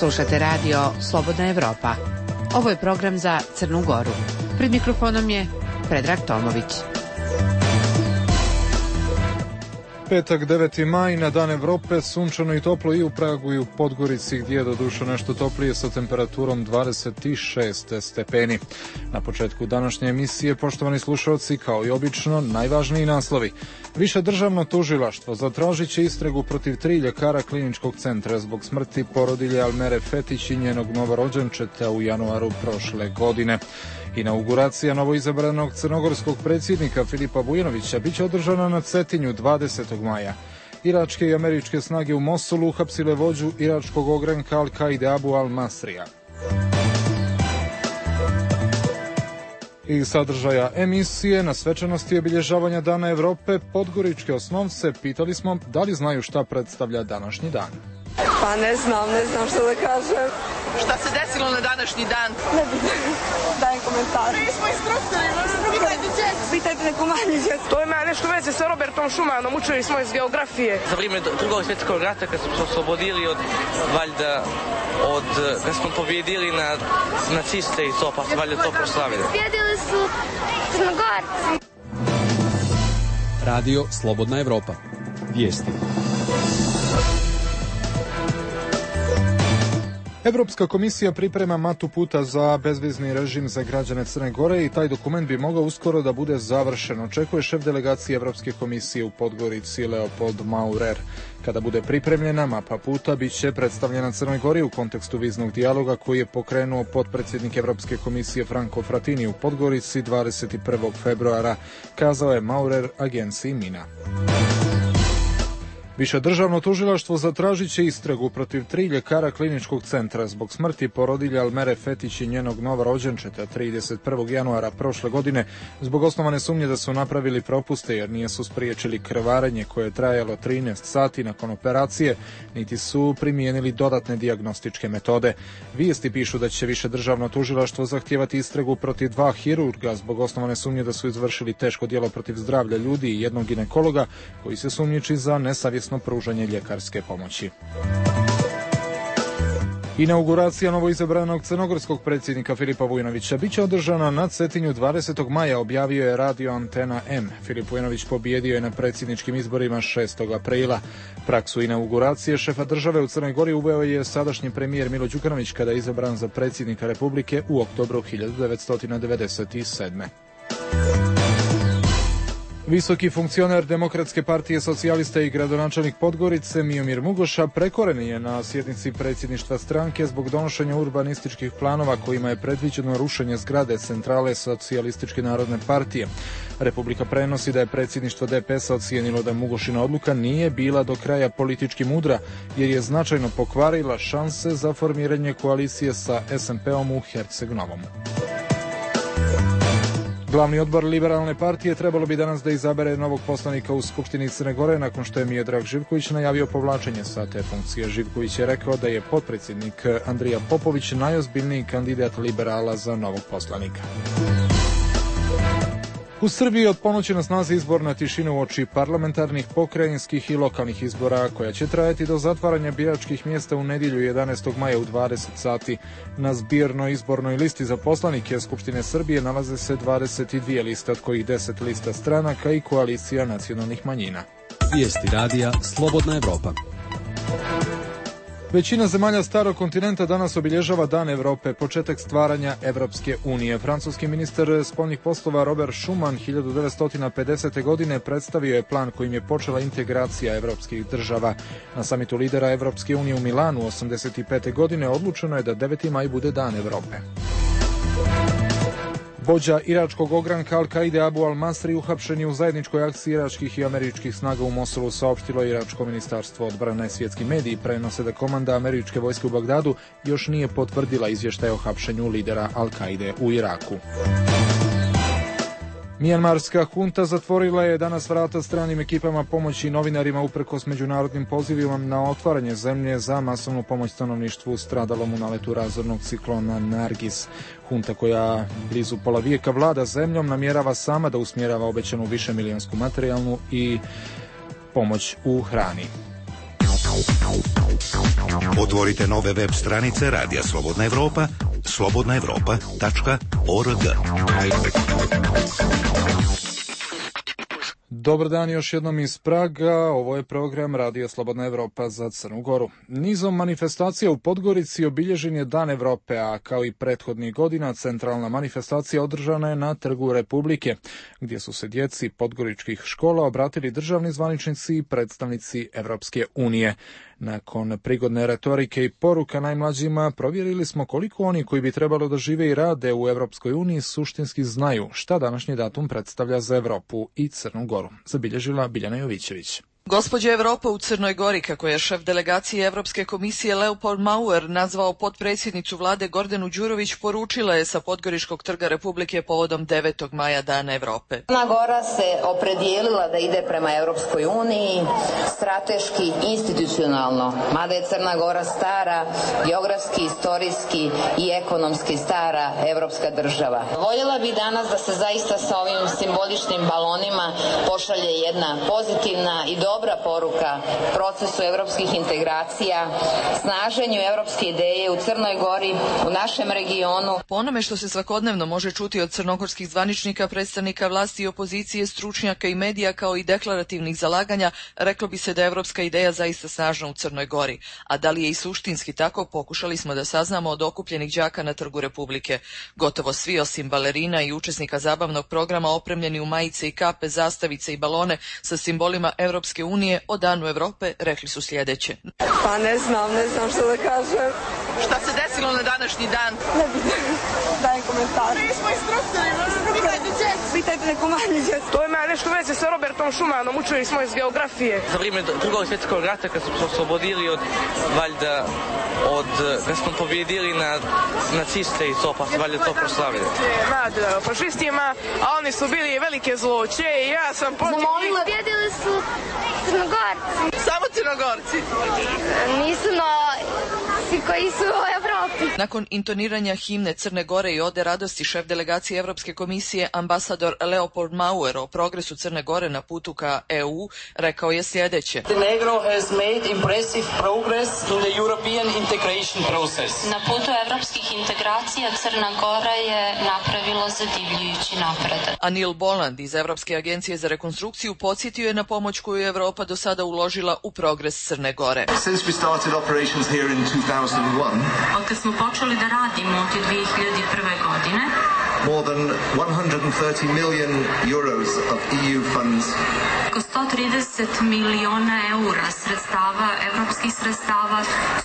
Slušate radio Slobodna Evropa. Ovo je program za Crnu Goru. Pred mikrofonom je Predrag Tomović. Petak 9. maj na Dan Evrope, sunčano i toplo i u Pragu i u Podgorici, gdje je doduše nešto toplije sa temperaturom 26 stepeni. Na početku današnje emisije, poštovani slušalci, kao i obično, najvažniji naslovi. Više državno tužilaštvo zatražit će istragu protiv 3 ljekara kliničkog centra zbog smrti porodilje Almere Fetić i njenog novorođenčeta u januaru prošle godine. Inauguracija novoizabranog crnogorskog predsjednika Filipa Vujinovića biće održana na Cetinju 20. maja. Iračke i američke snage u Mosulu uhapsile vođu iračkog ogranka Al-Kaide Abu al-Masrija. I sadržaja emisije na svečanosti obilježavanja Dana Evrope podgoričke osnovce pitali smo da li znaju šta predstavlja današnji dan. Pa ne znam što da kažem. Šta se desilo na današnji dan? Ne bih dajem komentar. Mi smo instruktori, pitajte djecu. Pitajte neku manju djecu. To ima nešto veze sa Robertom Schumannom, učili smo iz geografije. Za vrijeme drugog svjetskog rata kad smo se oslobodili kad smo pobjedili na naciste i to, pa se valjda to proslavili. Pobjedili su Crnogorci. Radio Slobodna Evropa. Vijesti. Evropska komisija priprema matu puta za bezvizni režim za građane Crne Gore i taj dokument bi mogao uskoro da bude završen, očekuje šef delegacije Evropske komisije u Podgorici Leopold Maurer. Kada bude pripremljena, mapa puta bit će predstavljena Crnoj Gori u kontekstu viznog dijaloga koji je pokrenuo potpredsjednik Evropske komisije Franco Frattini u Podgorici 21. februara, kazao je Maurer agenciji Mina. Više državno tužilaštvo zatražit će istragu protiv 3 ljekara kliničkog centra zbog smrti porodilje Almere Fetić i njenog novorođenčeta 31. januara prošle godine zbog osnovane sumnje da su napravili propuste jer nisu spriječili krvarenje koje je trajalo 13 sati nakon operacije, niti su primijenili dodatne dijagnostičke metode. Vijesti pišu da će više državno tužilaštvo zahtijevati istragu protiv 2 hirurga zbog osnovane sumnje da su izvršili teško djelo protiv zdravlja ljudi i jednog ginekologa koji se sumnjiči za nesavjesno pružanje ljekarske pomoći. Inauguracija novoizabranog crnogorskog predsjednika Filipa Vujinovića biće održana na Cetinju 20. maja, objavio je radio Antena M. Filip Vujinović pobijedio je na predsjedničkim izborima 6. aprila. Praksu inauguracije šefa države u Crnoj Gori uveo je sadašnji premijer Milo Đukanović kada je izabran za predsjednika Republike u oktobru 1997. Visoki funkcioner Demokratske partije socijalista i gradonačelnik Podgorice Miomir Mugoša prekoren je na sjednici predsjedništva stranke zbog donošenja urbanističkih planova kojima je predviđeno rušenje zgrade centrale Socijalističke narodne partije. Republika prenosi da je predsjedništvo DPS-a ocijenilo da Mugošina odluka nije bila do kraja politički mudra jer je značajno pokvarila šanse za formiranje koalicije sa SMP-om u Herceg-Novom. Glavni odbor Liberalne partije trebalo bi danas da izabere novog poslanika u Skupštini Crne Gore nakon što je Miodrag Živković najavio povlačenje sa te funkcije. Živković je rekao da je potpredsjednik Andrija Popović najozbiljniji kandidat liberala za novog poslanika. U Srbiji od ponoći na snazi izborna tišina uoči parlamentarnih, pokrajinskih i lokalnih izbora koja će trajati do zatvaranja biračkih mjesta u nedjelju 11. maja u 20 sati. Na zbirnoj izbornoj listi za poslanike Skupštine Srbije nalaze se 22 liste, od kojih 10 lista stranaka i koalicija nacionalnih manjina. Vijesti radija Slobodna Evropa. Većina zemalja starog kontinenta danas obilježava Dan Evrope, početak stvaranja Evropske unije. Francuski ministar spoljnih poslova Robert Schuman 1950. godine predstavio je plan kojim je počela integracija evropskih država. Na samitu lidera Evropske unije u Milanu 1985. godine odlučeno je da 9. maj bude Dan Evrope. Vođa iračkog ogranka Al-Kaide Abu al-Masri uhapšen je u zajedničkoj akciji iračkih i američkih snaga u Mosulu, saopštilo iračko ministarstvo odbrane. Svjetski mediji prenose da komanda američke vojske u Bagdadu još nije potvrdila izvještaj o hapšenju lidera Al-Kaide u Iraku. Mijanmarska hunta zatvorila je danas vrata stranim ekipama pomoći novinarima uprkos međunarodnim pozivima na otvaranje zemlje za masovnu pomoć stanovništvu stradalom u naletu razornog ciklona Nargis. Hunta, koja blizu pola vijeka vlada zemljom, namjerava sama da usmjerava obećanu višemilijonsku materijalnu i pomoć u hrani. Otvorite nove web stranice Radija Slobodna Evropa, slobodnaevropa.org. Dobar dan još jednom iz Praga, ovo je program Radio Slobodna Evropa za Crnu Goru. Nizom manifestacija u Podgorici obilježen je Dan Evrope, a kao i prethodnih godina centralna manifestacija održana je na Trgu Republike, gdje su se djeci podgoričkih škola obratili državni zvaničnici i predstavnici Evropske unije. Nakon prigodne retorike i poruka najmlađima, provjerili smo koliko oni koji bi trebalo da žive i rade u Evropskoj uniji suštinski znaju šta današnji datum predstavlja za Evropu i Crnu Goru. Zabilježila Biljana Jovićević. Gospođa Evropa u Crnoj Gori, kako je šef delegacije Evropske komisije Leopold Mauer nazvao potpredsjednicu vlade Gordanu Đurović, poručila je sa Podgoričkog trga Republike povodom 9. maja Dana Evrope. Crna Gora se opredijelila da ide prema Evropskoj uniji strateški, institucionalno, mada je Crna Gora stara, geografski, istorijski i ekonomski stara evropska država. Voljela bih danas da se zaista sa ovim simboličnim balonima pošalje jedna pozitivna i dobra poruka procesu evropskih integracija, snaženju evropske ideje u Crnoj Gori, u našem regionu. Po onome što se svakodnevno može čuti od crnogorskih zvaničnika, predstavnika vlasti i opozicije, stručnjaka i medija, kao i deklarativnih zalaganja, reklo bi se da je evropska ideja zaista snažna u Crnoj Gori. A da li je i suštinski tako, pokušali smo da saznamo od okupljenih đaka na Trgu Republike. Gotovo svi, osim balerina i učesnika zabavnog programa, opremljeni u majice i kape, zastavice i balone sa simbolima Evropske unije o Danu Evrope, rekli su sljedeće. Pa ne znam što da kažem. Šta se desilo na današnji dan? Ne bih dajem komentar. Mi smo instruktori, pitajte djecu. Pitajte neku manju djecu. To ima nešto veze sa Robertom Schumannom, učili smo iz geografije. Za vrijeme Drugog svjetskog rata, kad smo se oslobodili kad smo pobjedili na naciste i to, pa su valjda to proslavili. Nad fašistima, a oni su bili velike zloće i ja sam protiv njih. Pobjedili su Crnogorci. Samo Crnogorci? Nisu, no svi koji su u Evropi. Nakon intoniranja himne Crne Gore i ode radosti, šef delegacije Evropske komisije ambasador Leopold Mauer o progresu Crne Gore na putu ka EU rekao je sljedeće. Montenegro has made impressive progress in the European integration process. Na putu evropskih integracija Crna Gora je napravila zadivljujući napredak. Anil Boland iz Evropske agencije za rekonstrukciju podsjetio je na pomoć koju je Evropa do sada uložila u progres Crne Gore. Since we started operations here in 2001, Otkad smo počeli da radimo od 2001. godine, more than 130 million euros of EU funds. oko 130 miliona eura evropskih sredstava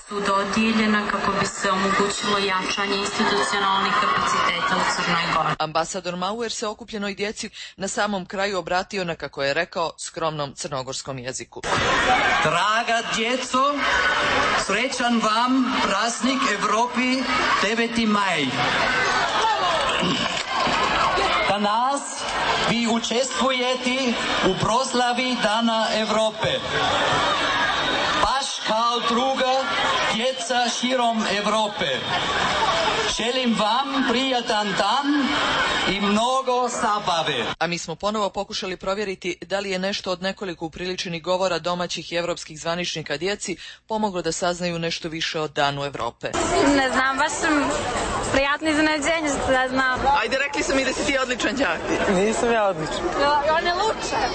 su dodijeljena kako bi se omogućilo jačanje institucionalnih kapaciteta u Crnoj Gori. Ambasador Mauer se okupljenoj djeci na samom kraju obratio na, kako je rekao, skromnom crnogorskom jeziku. Draga djeco, srećan vam praznik Evropi 9. maj. Danas vi učestvujete u proslavi Dana Evrope. Baš kao druga djeca širom Evrope. Želim vam prijatan dan i mnogo zabave. A mi smo ponovo pokušali provjeriti da li je nešto od nekoliko upriličenih govora domaćih i evropskih zvaničnika djeci pomoglo da saznaju nešto više o Danu Evrope. Ne znam, baš sam prijatno iznenađenje što da znam. Ajde, rekli su mi da si ti odličan đak. Nisam ja odličan. On je lučan.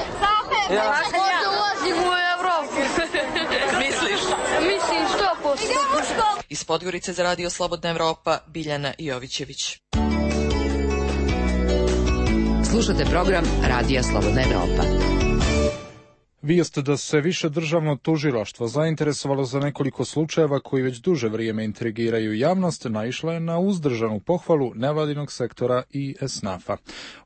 Ja možda ulazim u Evropu. Misliš? Mislim 100%. Iz Podgorice za Radio Slobodna Evropa, Biljana Jovićević. Slušate program Radija Slobodna Evropa. Vijest da se više državno tužilaštvo zainteresovalo za nekoliko slučajeva koji već duže vrijeme intrigiraju javnost naišla je na uzdržanu pohvalu nevladinog sektora i SNAF-a.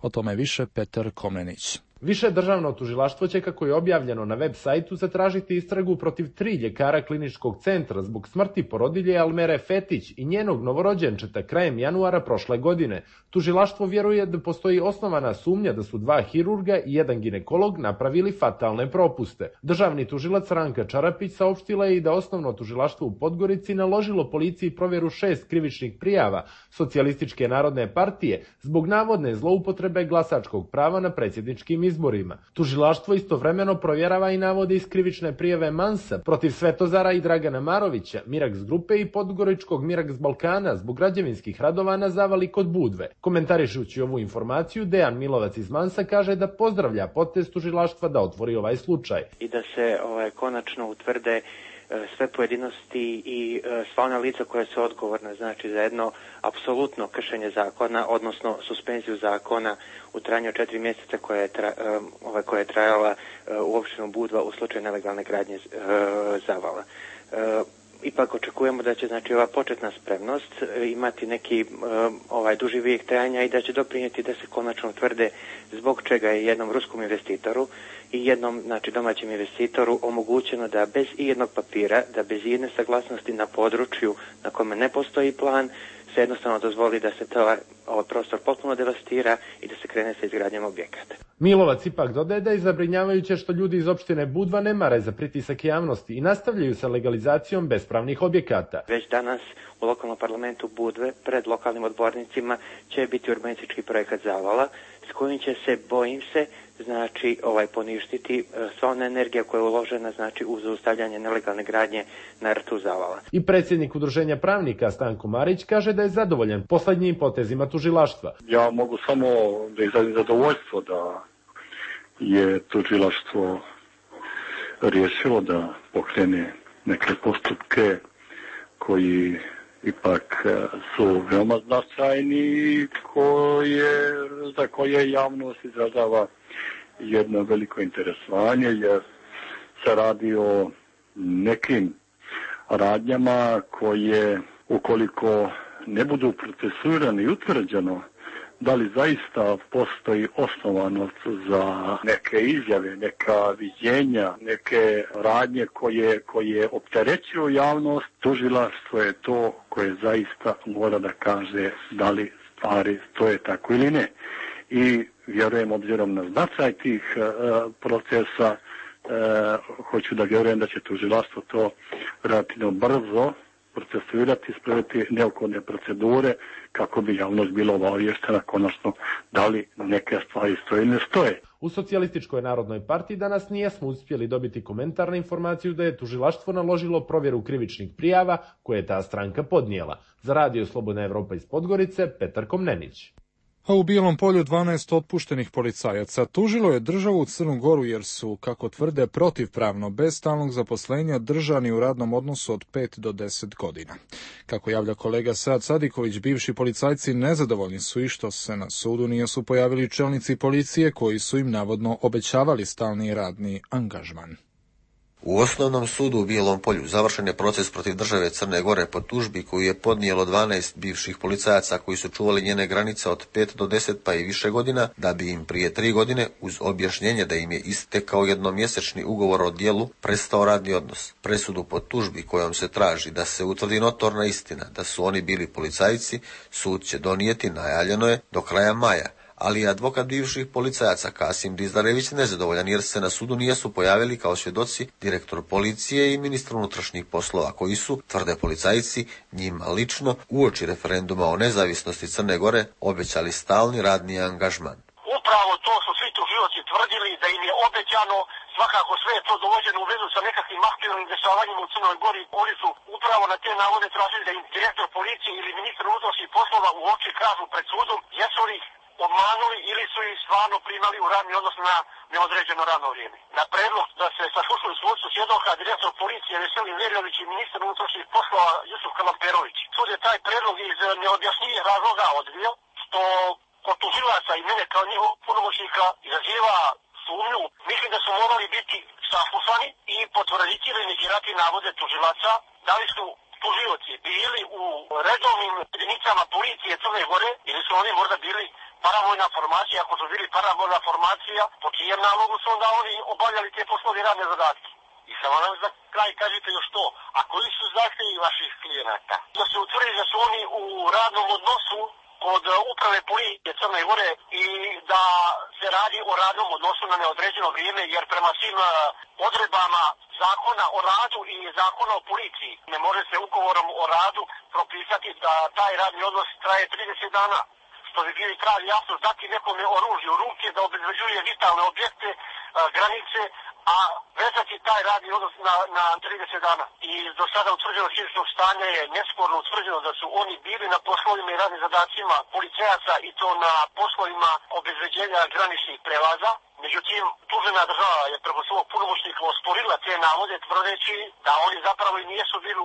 O tome više Petar Komnenić. Više državno tužilaštvo će, kako je objavljeno na web sajtu, zatražiti istragu protiv 3 ljekara kliničkog centra zbog smrti porodilje Almere Fetić i njenog novorođenčeta krajem januara prošle godine. Tužilaštvo vjeruje da postoji osnovana sumnja da su 2 hirurga i 1 ginekolog napravili fatalne propuste. Državni tužilac Ranka Čarapić saopštila je i da osnovno tužilaštvo u Podgorici naložilo policiji provjeru 6 krivičnih prijava Socijalističke narodne partije zbog navodne zloupotrebe glasačkog prava na predsjedničkim izborima. Tužilaštvo istovremeno provjerava i navode iz krivične prijave Mansa protiv Svetozara i Dragana Marovića, Miraks grupe i podgoričkog Miraks Balkana zbog građevinskih radova na zavali kod Budve. Komentarišući ovu informaciju, Dejan Milovac iz Mansa kaže da pozdravlja potez tužilaštva da otvori ovaj slučaj. I da se konačno utvrde sve pojedinosti i sva ona lica koja su odgovorna, znači za jedno apsolutno kršenje zakona, odnosno suspenziju zakona u trajanju 4 mjeseca koja je trajala u opštinu Budva u slučaju nelegalne gradnje zavala. Ipak očekujemo da će ova početna spremnost imati neki duži vijek trajanja i da će doprinijeti da se konačno utvrde zbog čega je jednom ruskom investitoru i jednom domaćem investitoru omogućeno da bez ijednog papira, da bez ijedne saglasnosti na području na kome ne postoji plan, se jednostavno dozvoli da se ovaj prostor potpuno devastira i da se krene sa izgradnjom objekata. Milovac ipak dodaje da je zabrinjavajuće što ljudi iz opštine Budva ne mare za pritisak javnosti i nastavljaju sa legalizacijom bespravnih objekata. Već danas u lokalnom parlamentu Budve pred lokalnim odbornicima će biti urbanistički projekat zavala s kojim će se, bojim se, poništiti sva ona energija koja je uložena u zaustavljanje nelegalne gradnje na rtu zavala. I predsjednik udruženja pravnika Stanko Marić kaže da je zadovoljan poslednjim potezima tužilaštva. Ja mogu samo da izrazim zadovoljstvo da je tužilaštvo riješilo da pokrene neke postupke koji ipak su veoma značajni i za koje javnost izražava jedno veliko interesovanje, jer se radi o nekim radnjama koje, ukoliko ne budu procesuirane i utvrđeno da li zaista postoji osnovanost za neke izjave, neka viđenja, neke radnje koje opterećuju javnost, tužilaštvo je to koje zaista mora da kaže da li stvari stoje tako ili ne. I vjerujem, obzirom na značaj tih procesa, hoću da vjerujem da će tužilaštvo to relativno brzo procesuirati, sprovesti neophodne procedure kako bi javnost bila obaviještena konačno da li neke stvari stoje ili ne stoje. U Socijalističkoj narodnoj partiji danas nijesmo uspjeli dobiti komentar na informaciju da je tužilaštvo naložilo provjeru krivičnih prijava koje je ta stranka podnijela. Za Radio Slobodna Evropa iz Podgorice, Petar Komnenić. A u Bijelom Polju 12 otpuštenih policajaca tužilo je državu u Crnu Goru jer su, kako tvrde, protivpravno bez stalnog zaposlenja držani u radnom odnosu od 5 do 10 godina. Kako javlja kolega Sead Sadiković, bivši policajci nezadovoljni su i što se na sudu nisu pojavili čelnici policije koji su im navodno obećavali stalni radni angažman. U Osnovnom sudu u Bijelom Polju završen je proces protiv države Crne Gore po tužbi koju je podnijelo 12 bivših policajaca koji su čuvali njene granice od 5 do 10 pa i više godina, da bi im prije 3 godine, uz objašnjenje da im je istekao jednomjesečni ugovor o djelu, prestao radni odnos. Presudu po tužbi kojom se traži da se utvrdi notorna istina da su oni bili policajci, sud će donijeti, najavljeno je, do kraja maja. Ali je advokat bivših policajaca Kasim Dizdarević nezadovoljan jer se na sudu nisu pojavili kao svjedoci direktor policije i ministar unutrašnjih poslova koji su, tvrde policajci, njima lično uoči referenduma o nezavisnosti Crne Gore obećali stalni radni angažman. Upravo to su svi tužioci tvrdili da im je obećano, svakako sve je to dovođeno u vezu sa nekakvim aktualnim dešavanjima u Crnoj Gori. Oni su upravo na te navode tražili da im direktor policije ili ministar unutrašnjih poslova u oči kažu pred sudom jesu li obmanuli ili su ih stvarno primali u radni odnos na neodređeno radno vrijeme. Na predlog da se saslušaju svojstvu svjedoka direktor policije Veselin Verjović i ministar unutrašnjih poslova Jusuf Kalamperović. Sud je taj predlog iz neobjašnjivih razloga odbio, što kod tužilaca i mene kao njihov punomoćnika izaziva sumnju. Mislim da su morali biti saslušani i potvrditi ili negirati navode tužilaca da li su tužioci bili u redovnim jedinicama policije Crne Gore ili su oni možda bili paravojna formacija. Ako su bili paravojna formacija, po čijem nalogu su onda oni obavljali te poslove i radne zadatke. I samo nam za kraj kažete još to, a koji su zahtjevi vaših klijenata? Da se utvrdi da su oni u radnom odnosu kod uprave policije Crne Gore i da se radi o radnom odnosu na neodređeno vrijeme, jer prema svim odredbama zakona o radu i zakona o policiji ne može se ugovorom o radu propisati da taj radni odnos traje 30 dana. što bi bili pravi jasno dati nekome oružje u ruke da obezbeđuje vitalne objekte, granice, a vezati taj radni odnos na 30 dana. I do sada utvrđeno činjenično stanje je nesporno utvrđeno da su oni bili na poslovima i radnim zadacima policajaca i to na poslovima obezbeđenja graničnih prelaza. Međutim, tužena država je preko svog punomoćnika osporila te navode tvrdeći da oni zapravo i nijesu bili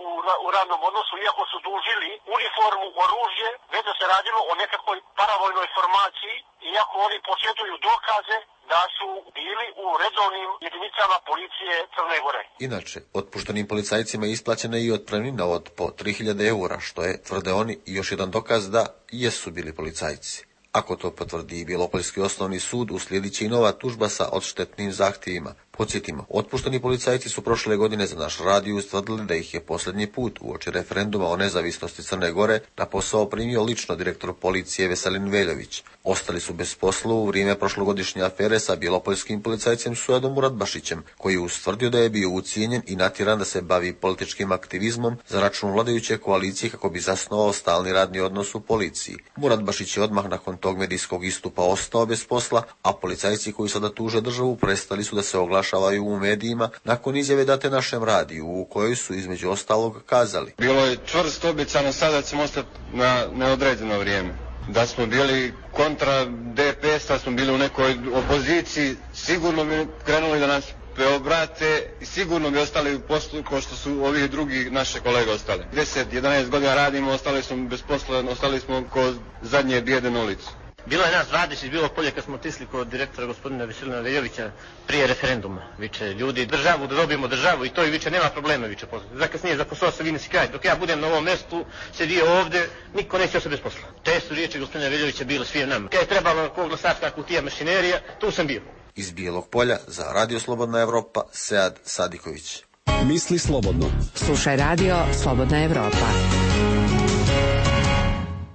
u radnom odnosu, iako su dužili uniformu, oružje, već da se radilo o nekakvoj paravojnoj formaciji, iako oni posjeduju dokaze da su bili u redovnim jedinicama policije Crne Gore. Inače, otpuštenim policajcima je isplaćena i otpremnina od po 3000 eura, što je, tvrde oni, još jedan dokaz da jesu bili policajci. Ako to potvrdi i Bjelopoljski osnovni sud, uslijedit će i nova tužba sa odštetnim zahtjevima. Podsjetimo, otpušteni policajci su prošle godine za naš radio ustvrdili da ih je posljednji put uoči referenduma o nezavisnosti Crne Gore na posao primio lično direktor policije Veselin Veljović. Ostali su bez posla u vrijeme prošlogodišnje afere sa bjelopoljskim policajcem Suadom Muradbašićem, koji je ustvrdio da je bio ucijenjen i natjeran da se bavi političkim aktivizmom za račun vladajuće koalicije kako bi zasnovao stalni radni odnos u policiji. Muradbašić je odmah nakon tog medijskog istupa ostao bez posla, a policajci koji sada tuže državu prestali su da se oglašavaju u medijima nakon izjave date našem radiju, u kojoj su između ostalog kazali: bilo je čvrsto obećano, sada ćemo ostati na neodređeno vrijeme. Da smo bili kontra DPS-a, smo bili u nekoj opoziciji, sigurno bi krenuli da nas preobrate i sigurno bi ostali u poslu kao što su ovi drugi naše kolege ostali. 10-11 godina radimo, ostali smo bez posla, ostali smo ko zadnje bijede na ulicu. Bilo je nas 20 bilo polje kad smo otisli kod direktora gospodina Veselina Veljovića prije referenduma. Viče, ljudi, državu, da dobijemo državu i to i viče, nema problema, viče, zakasnije za posao se vini si kraj. Dok ja budem na ovom mjestu, sedio ovdje, niko neće ostati bez posla. Te su riječi gospodina Veljovića bile svim nama. Kad je trebalo ko glasačka kutija mašinerija, tu sam bio. Iz Bijelog Polja za Radio Slobodna Evropa, Sead Sadiković. Misli slobodno. Slušaj Radio Slobodna Evropa.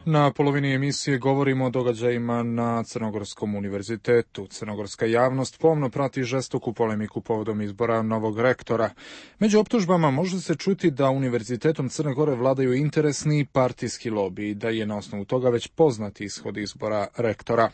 Na polovini emisije govorimo o događajima na Crnogorskom univerzitetu. Crnogorska javnost pomno prati žestoku polemiku povodom izbora novog rektora. Među optužbama može se čuti da univerzitetom Crne Gore vladaju interesni partijski lobi i da je na osnovu toga već poznati ishod izbora rektora.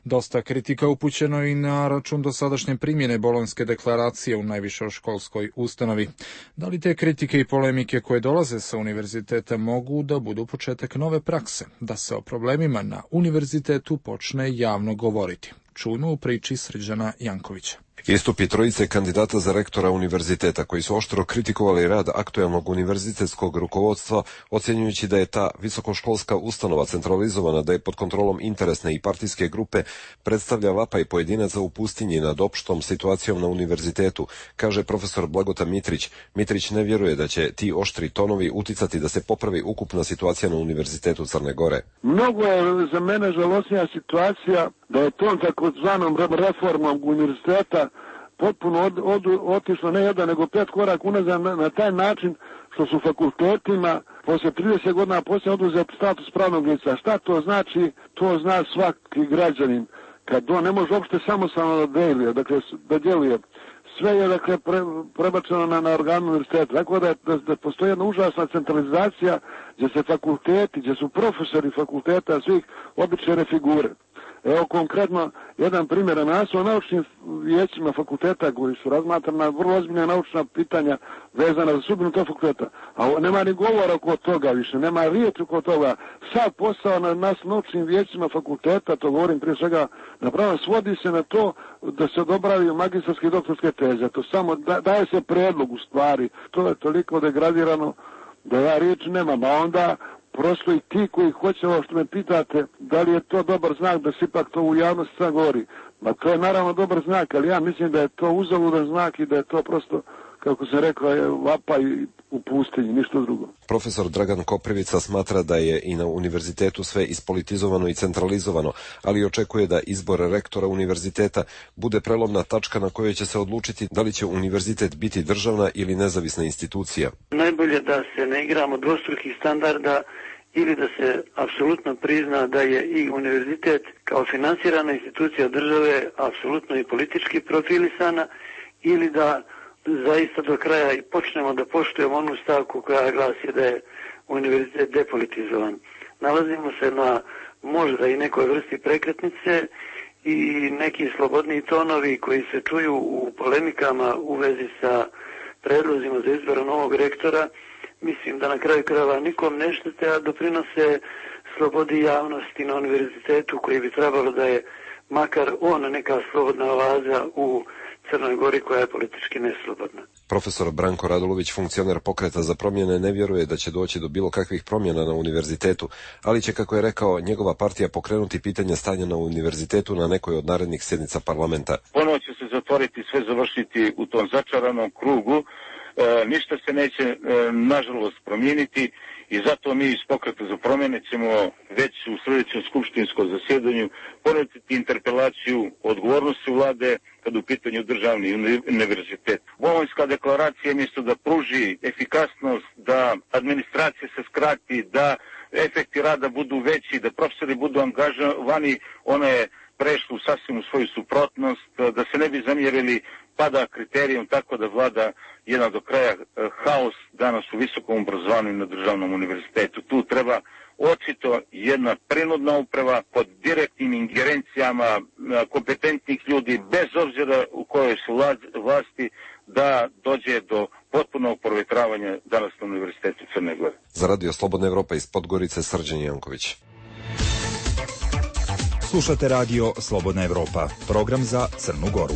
Dosta kritika upućeno i na račun dosadašnje primjene Bolonjske deklaracije u najvišoj školskoj ustanovi. Da li te kritike i polemike koje dolaze sa univerziteta mogu da budu početak nove prakse, da se o problemima na univerzitetu počne javno govoriti? Čujmo u priči Srđana Jankovića. Istupi trojice kandidata za rektora univerziteta koji su oštro kritikovali rad aktuelnog univerzitetskog rukovodstva, ocjenjujući da je ta visokoškolska ustanova centralizovana, da je pod kontrolom interesne i partijske grupe, predstavlja vapaj pojedinaca u pustinji nad opštom situacijom na univerzitetu, kaže profesor Blagota Mitrić. Mitrić ne vjeruje da će ti oštri tonovi uticati da se popravi ukupna situacija na univerzitetu Crne Gore. Mnogo je za mene žalosnija situacija da je tom takozvanom reformom univerziteta potpuno otišlo ne jedan nego 5 koraka unazad na taj način što su fakultetima poslije 30 godina poslije oduzet status pravnog lica. Šta to znači? To zna svaki građanin. Kad on ne može uopšte samostalno da djeluje. Sve je prebačeno na organ univerziteta. Tako da postoji jedna užasna centralizacija gdje se fakulteti, gdje su profesori fakulteta svih obične figure. Evo konkretno jedan primjer na naučnim vijećima fakulteta koji su razmatrana vrlo ozbiljna naučna pitanja vezana za sudbinu tog fakulteta. A nema ni govora oko toga više, nema riječi oko toga. Sad posao na nas naučnim vijećima fakulteta, to govorim prije svega napravno, svodi se na to da se odobravaju magistarske i doktorske teze. To samo daje se predlog u stvari. To je toliko degradirano da ja riječi nemam. A onda prosto i ti koji hoće ovo što me pitate, da li je to dobar znak da se ipak to u javnosti sad govori. Ma to je naravno dobar znak, ali ja mislim da je to uzaludan znak i da je to prosto, kako sam rekao, je vapaj u pustinji, ništa drugo. Profesor Dragan Koprivica smatra da je i na univerzitetu sve ispolitizovano i centralizovano, ali očekuje da izbor rektora univerziteta bude prelomna tačka na kojoj će se odlučiti da li će univerzitet biti državna ili nezavisna institucija. Najbolje da se ne igramo dvostrukih standarda ili da se apsolutno prizna da je i univerzitet kao finansirana institucija države apsolutno i politički profilisana, ili da zaista do kraja i počnemo da poštujemo onu stavku koja glasi da je univerzitet depolitizovan. Nalazimo se na možda i nekoj vrsti prekretnice i neki slobodniji tonovi koji se čuju u polemikama u vezi sa predlozima za izbor novog rektora, mislim da na kraju krajeva nikom ne štete, a doprinose slobodi javnosti na univerzitetu koji bi trebalo da je makar on neka slobodna oaza u Crnoj Gori koja je politički neslobodna. Profesor Branko Radulović, funkcioner Pokreta za promjene, ne vjeruje da će doći do bilo kakvih promjena na univerzitetu, ali će, kako je rekao, njegova partija pokrenuti pitanje stanja na univerzitetu na nekoj od narednih sjednica parlamenta. Ponovo će se zatvoriti, sve završiti u tom začaranom krugu, ništa se neće nažalost promijeniti i zato mi iz Pokreta za promjene ćemo već u sljedećem skupštinskom zasjedanju ponuditi interpelaciju odgovornosti vlade kad u pitanju državni univerzitet. Bolonjska deklaracija mjesto da pruži efikasnost, da administracija se skrati, da efekti rada budu veći, da profesori budu angažovani, ona je prešla sasvim u svoju suprotnost, da se ne bi zamjerili pada kriterijom tako da vlada jedan do kraja haos danas u visokom obrazovanju na državnom univerzitetu. Tu treba očito jedna prinudna uprava pod direktnim ingerencijama kompetentnih ljudi, bez obzira u kojoj su vlasti, da dođe do potpunog provjetravanja danas na Univerzitetu Crne Gore. Za Radio Slobodna Evropa iz Podgorice, Srđan Janković. Slušate Radio Slobodna Evropa, program za Crnu Goru.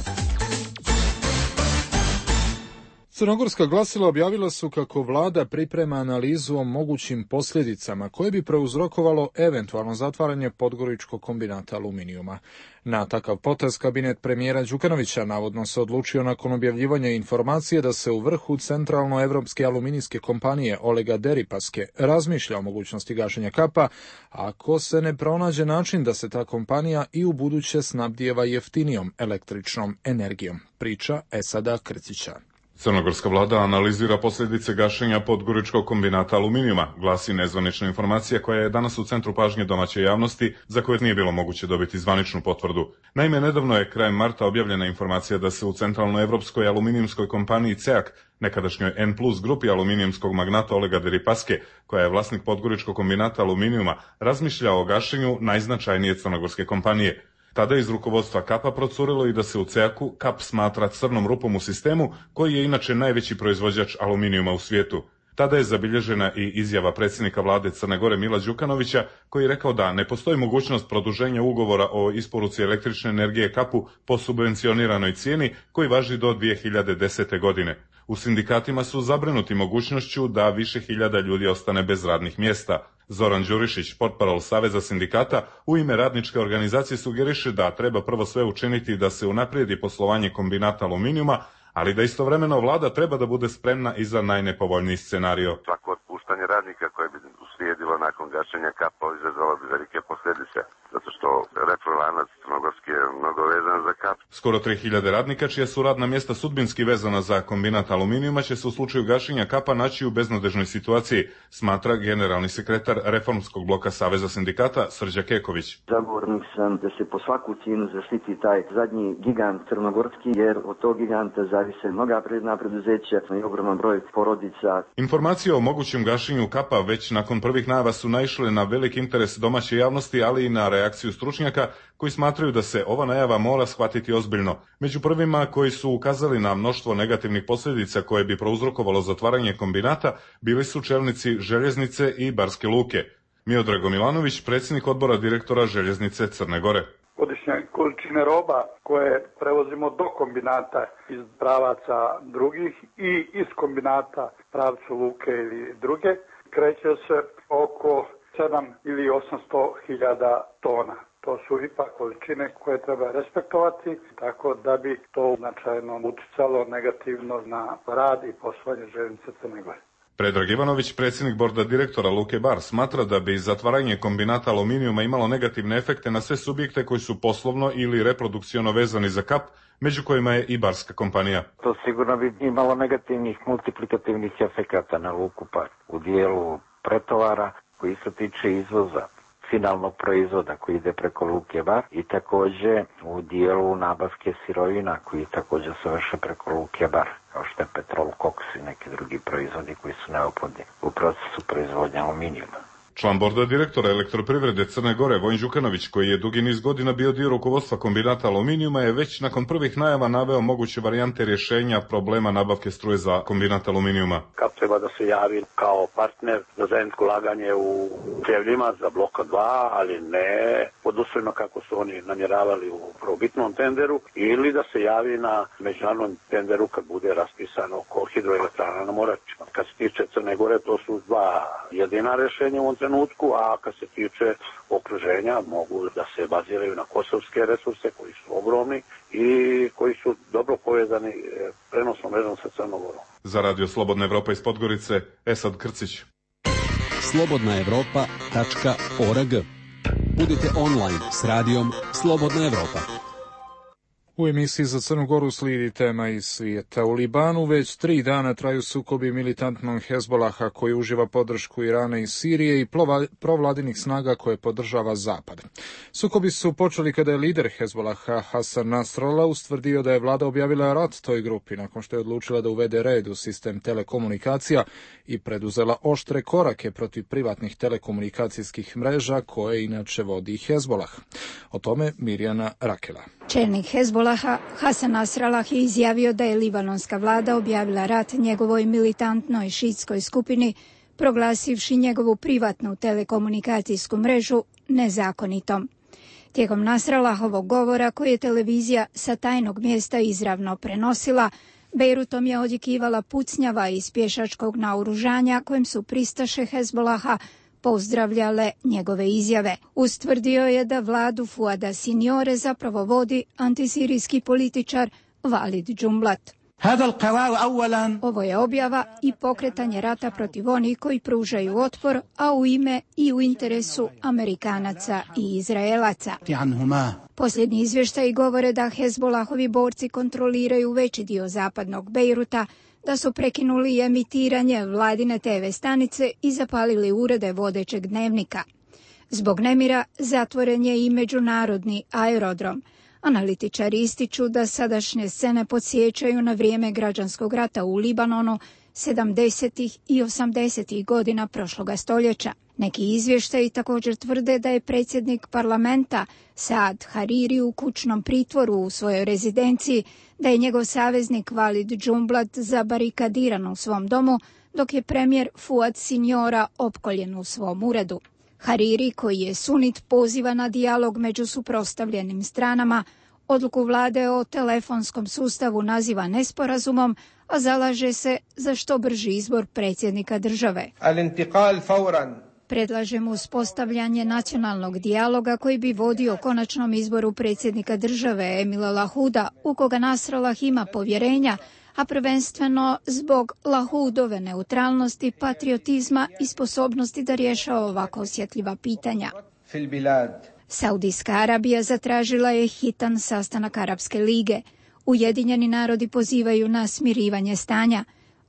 Crnogorska glasila objavila su kako vlada priprema analizu o mogućim posljedicama koje bi prouzrokovalo eventualno zatvaranje Podgoričkog kombinata aluminijuma. Na takav potez kabinet premijera Đukanovića navodno se odlučio nakon objavljivanja informacije da se u vrhu centralnoevropske aluminijske kompanije Olega Deripaske razmišlja o mogućnosti gašenja kapa ako se ne pronađe način da se ta kompanija i u buduće snabdijeva jeftinijom električnom energijom. Priča Esada Krcića. Crnogorska vlada analizira posljedice gašenja Podgoričkog kombinata aluminijuma, glasi nezvanična informacija koja je danas u centru pažnje domaće javnosti, za koje nije bilo moguće dobiti zvaničnu potvrdu. Naime, nedavno je krajem marta objavljena informacija da se u centralnoevropskoj aluminijumskoj kompaniji CEAK, nekadašnjoj N+ grupi aluminijumskog magnata Olega Deripaske, koja je vlasnik Podgoričkog kombinata aluminijuma, razmišlja o gašenju najznačajnije crnogorske kompanije. Tada je iz rukovodstva Kapa procurilo i da se u CEAK-u Kap smatra crnom rupom u sistemu, koji je inače najveći proizvođač aluminijuma u svijetu. Tada je zabilježena i izjava predsjednika vlade Crne Gore Mila Đukanovića, koji je rekao da ne postoji mogućnost produženja ugovora o isporuci električne energije Kapu po subvencioniranoj cijeni koji važi do 2010. godine. U sindikatima su zabrinuti mogućnošću da više hiljada ljudi ostane bez radnih mjesta. Zoran Đurišić, portparol Saveza sindikata, u ime radničke organizacije sugeriše da treba prvo sve učiniti da se unaprijedi poslovanje kombinata aluminijuma, ali da istovremeno vlada treba da bude spremna i za najnepovoljniji scenario. Svako otpuštanje radnika koje bi uslijedilo nakon gašenja Kapa izazvalo bi velike posljedice, zato što retrolanac crnogorski je mnogo vezan za Kap. Skoro 3000 radnika čija su radna mjesta sudbinski vezana za kombinat aluminijuma će se u slučaju gašenja Kapa naći u beznadežnoj situaciji, smatra generalni sekretar Reformskog bloka Saveza sindikata Srđa Keković. Zagovornik sam da se po svaku cijenu zaštiti taj zadnji gigant crnogorski, jer od tog giganta zavise mnoga privredna preduzeća i ogroman broj porodica. Informacije o mogućem gašenju Kapa već nakon prvih najava su naišle na velik interes domaće javnosti, ali i na reakciju stručnjaka koji smatraju da se ova najava mora shvatiti ozbiljno. Među prvima koji su ukazali na mnoštvo negativnih posljedica koje bi prouzrokovalo zatvaranje kombinata bili su čelnici Željeznice i Barske luke. Miodrago Milanović, predsjednik odbora direktora Željeznice Crne Gore. Godišnje količine roba koje prevozimo do kombinata iz pravaca drugih i iz kombinata pravcu luke ili druge kreće se oko 7 ili 800 hiljada tona. To su ipak količine koje treba respektovati, tako da bi to značajno uticalo negativno na rad i poslovanje Željeznice Crne Gore. Predrag Ivanović, predsjednik borda direktora Luke Bar, smatra da bi zatvaranje kombinata aluminijuma imalo negativne efekte na sve subjekte koji su poslovno ili reprodukciono vezani za Kap, među kojima je i barska kompanija. To sigurno bi imalo negativnih multiplikativnih efekata na Luku Bar u dijelu pretovara koji se tiče izvoza finalnog proizvoda koji ide preko Luke Bar i također u dijelu nabavke sirovina koji također se vrše preko Luke Bar, kao što je petrol, koks i neki drugi proizvodi koji su neophodni u procesu proizvodnje aluminijuma. Član borda direktora Elektroprivrede Crne Gore Vojin Đukanović, koji je dugi niz godina bio dio rukovodstva kombinata aluminijuma, je već nakon prvih najava naveo moguće varijante rješenja problema nabavke struje za kombinat aluminijuma. Kako treba da se javi kao partner za zajedničko ulaganje u Cevljima za bloka 2, ali ne pod uslovima kako su oni namjeravali u prvobitnom tenderu, ili da se javi na međunarodnom tenderu kad bude raspisano oko hidroelektrana na Moračima. Kad se tiče Crne Gore, to su dva jedina rješenja u ovom trenutku, a kad se tiče okruženja, mogu da se baziraju na kosovske resurse koji su ogromni i koji su dobro povezani prenosnom mrežom sa Crnom Gorom. Za Radio Slobodna Evropa iz Podgorice, Esad Krcić. slobodnaevropa.org. Budite online s radijom Slobodna Evropa. U emisiji za Crnu Goru slijedi tema iz svijeta. U Libanu već 3 dana traju sukobi militantnog Hezbolaha koji uživa podršku Irana i Sirije i provladinih snaga koje podržava Zapad. Sukobi su počeli kada je lider Hezbolaha Hasan Nasrallah ustvrdio da je vlada objavila rat toj grupi nakon što je odlučila da uvede red u sistem telekomunikacija i preduzela oštre korake protiv privatnih telekomunikacijskih mreža koje inače vodi Hezbolah. O tome Mirjana Rakela. Čelnik Hezbolaha Hasan Nasrallah je izjavio da je libanonska vlada objavila rat njegovoj militantnoj šiitskoj skupini, proglasivši njegovu privatnu telekomunikacijsku mrežu nezakonitom. Tijekom Nasrallahovog govora, koji je televizija sa tajnog mjesta izravno prenosila, Bejrutom je odjekivala pucnjava iz pješačkog naoružanja kojem su pristaše Hezbolaha pozdravljale njegove izjave. Ustvrdio je da vladu Fuada Sinjore zapravo vodi antisirijski političar Walid Jumblat. Ovo je objava i pokretanje rata protiv onih koji pružaju otpor, a u ime i u interesu Amerikanaca i Izraelaca. Posljednji izvještaji govore da Hezbolahovi borci kontroliraju veći dio zapadnog Bejruta, da su prekinuli emitiranje vladine TV stanice i zapalili urede vodećeg dnevnika. Zbog nemira zatvoren je i međunarodni aerodrom. Analitičari ističu da sadašnje scene podsjećaju na vrijeme građanskog rata u Libanonu 70. i 80. godina prošloga stoljeća. Neki izvještaji također tvrde da je predsjednik parlamenta Saad Hariri u kućnom pritvoru u svojoj rezidenciji, da je njegov saveznik Walid Jumblat zabarikadiran u svom domu, dok je premijer Fuad Sinjora opkoljen u svom uredu. Hariri, koji je sunit, poziva na dijalog među suprotstavljenim stranama, odluku vlade o telefonskom sustavu naziva nesporazumom, a zalaže se za što brži izbor predsjednika države. Predlaže mu uspostavljanje nacionalnog dijaloga koji bi vodio konačnom izboru predsjednika države Emila Lahuda, u koga Nasrallah ima povjerenja, a prvenstveno zbog Lahudove neutralnosti, patriotizma i sposobnosti da rješava ovako osjetljiva pitanja. Saudijska Arabija zatražila je hitan sastanak Arapske lige. Ujedinjeni narodi pozivaju na smirivanje stanja.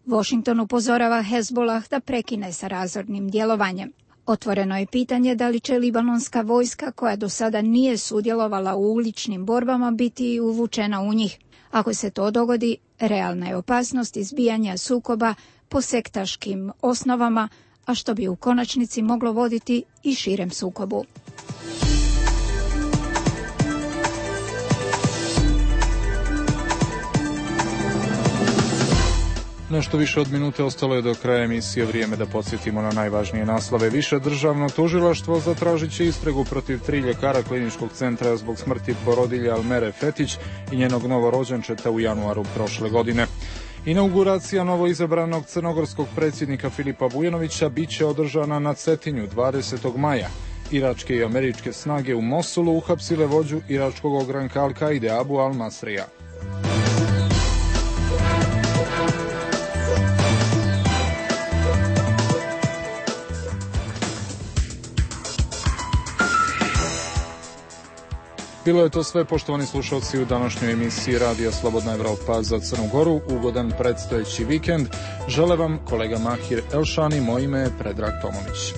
Washington upozorava Hezbolah da prekine sa razornim djelovanjem. Otvoreno je pitanje da li će libanonska vojska, koja do sada nije sudjelovala u uličnim borbama, biti uvučena u njih. Ako se to dogodi, realna je opasnost izbijanja sukoba po sektaškim osnovama, a što bi u konačnici moglo voditi i širem sukobu. Nešto više od minute ostalo je do kraja emisije. Vrijeme da podsjetimo na najvažnije naslove. Više državno tužilaštvo zatražit će istragu protiv 3 ljekara kliničkog centra zbog smrti porodilje Almere Fetić i njenog novorođenčeta u januaru prošle godine. Inauguracija novoizabranog crnogorskog predsjednika Filipa Bujanovića biće održana na Cetinju 20. maja. Iračke i američke snage u Mosulu uhapsile vođu iračkog ogranka Al-Kaide Abu al-Masrija. Bilo je to sve, poštovani slušalci, u današnjoj emisiji Radija Slobodna Evropa za Crnu Goru. Ugodan predstojeći vikend. Žele vam kolega Mahir Elšani, moje ime je Predrag Tomović.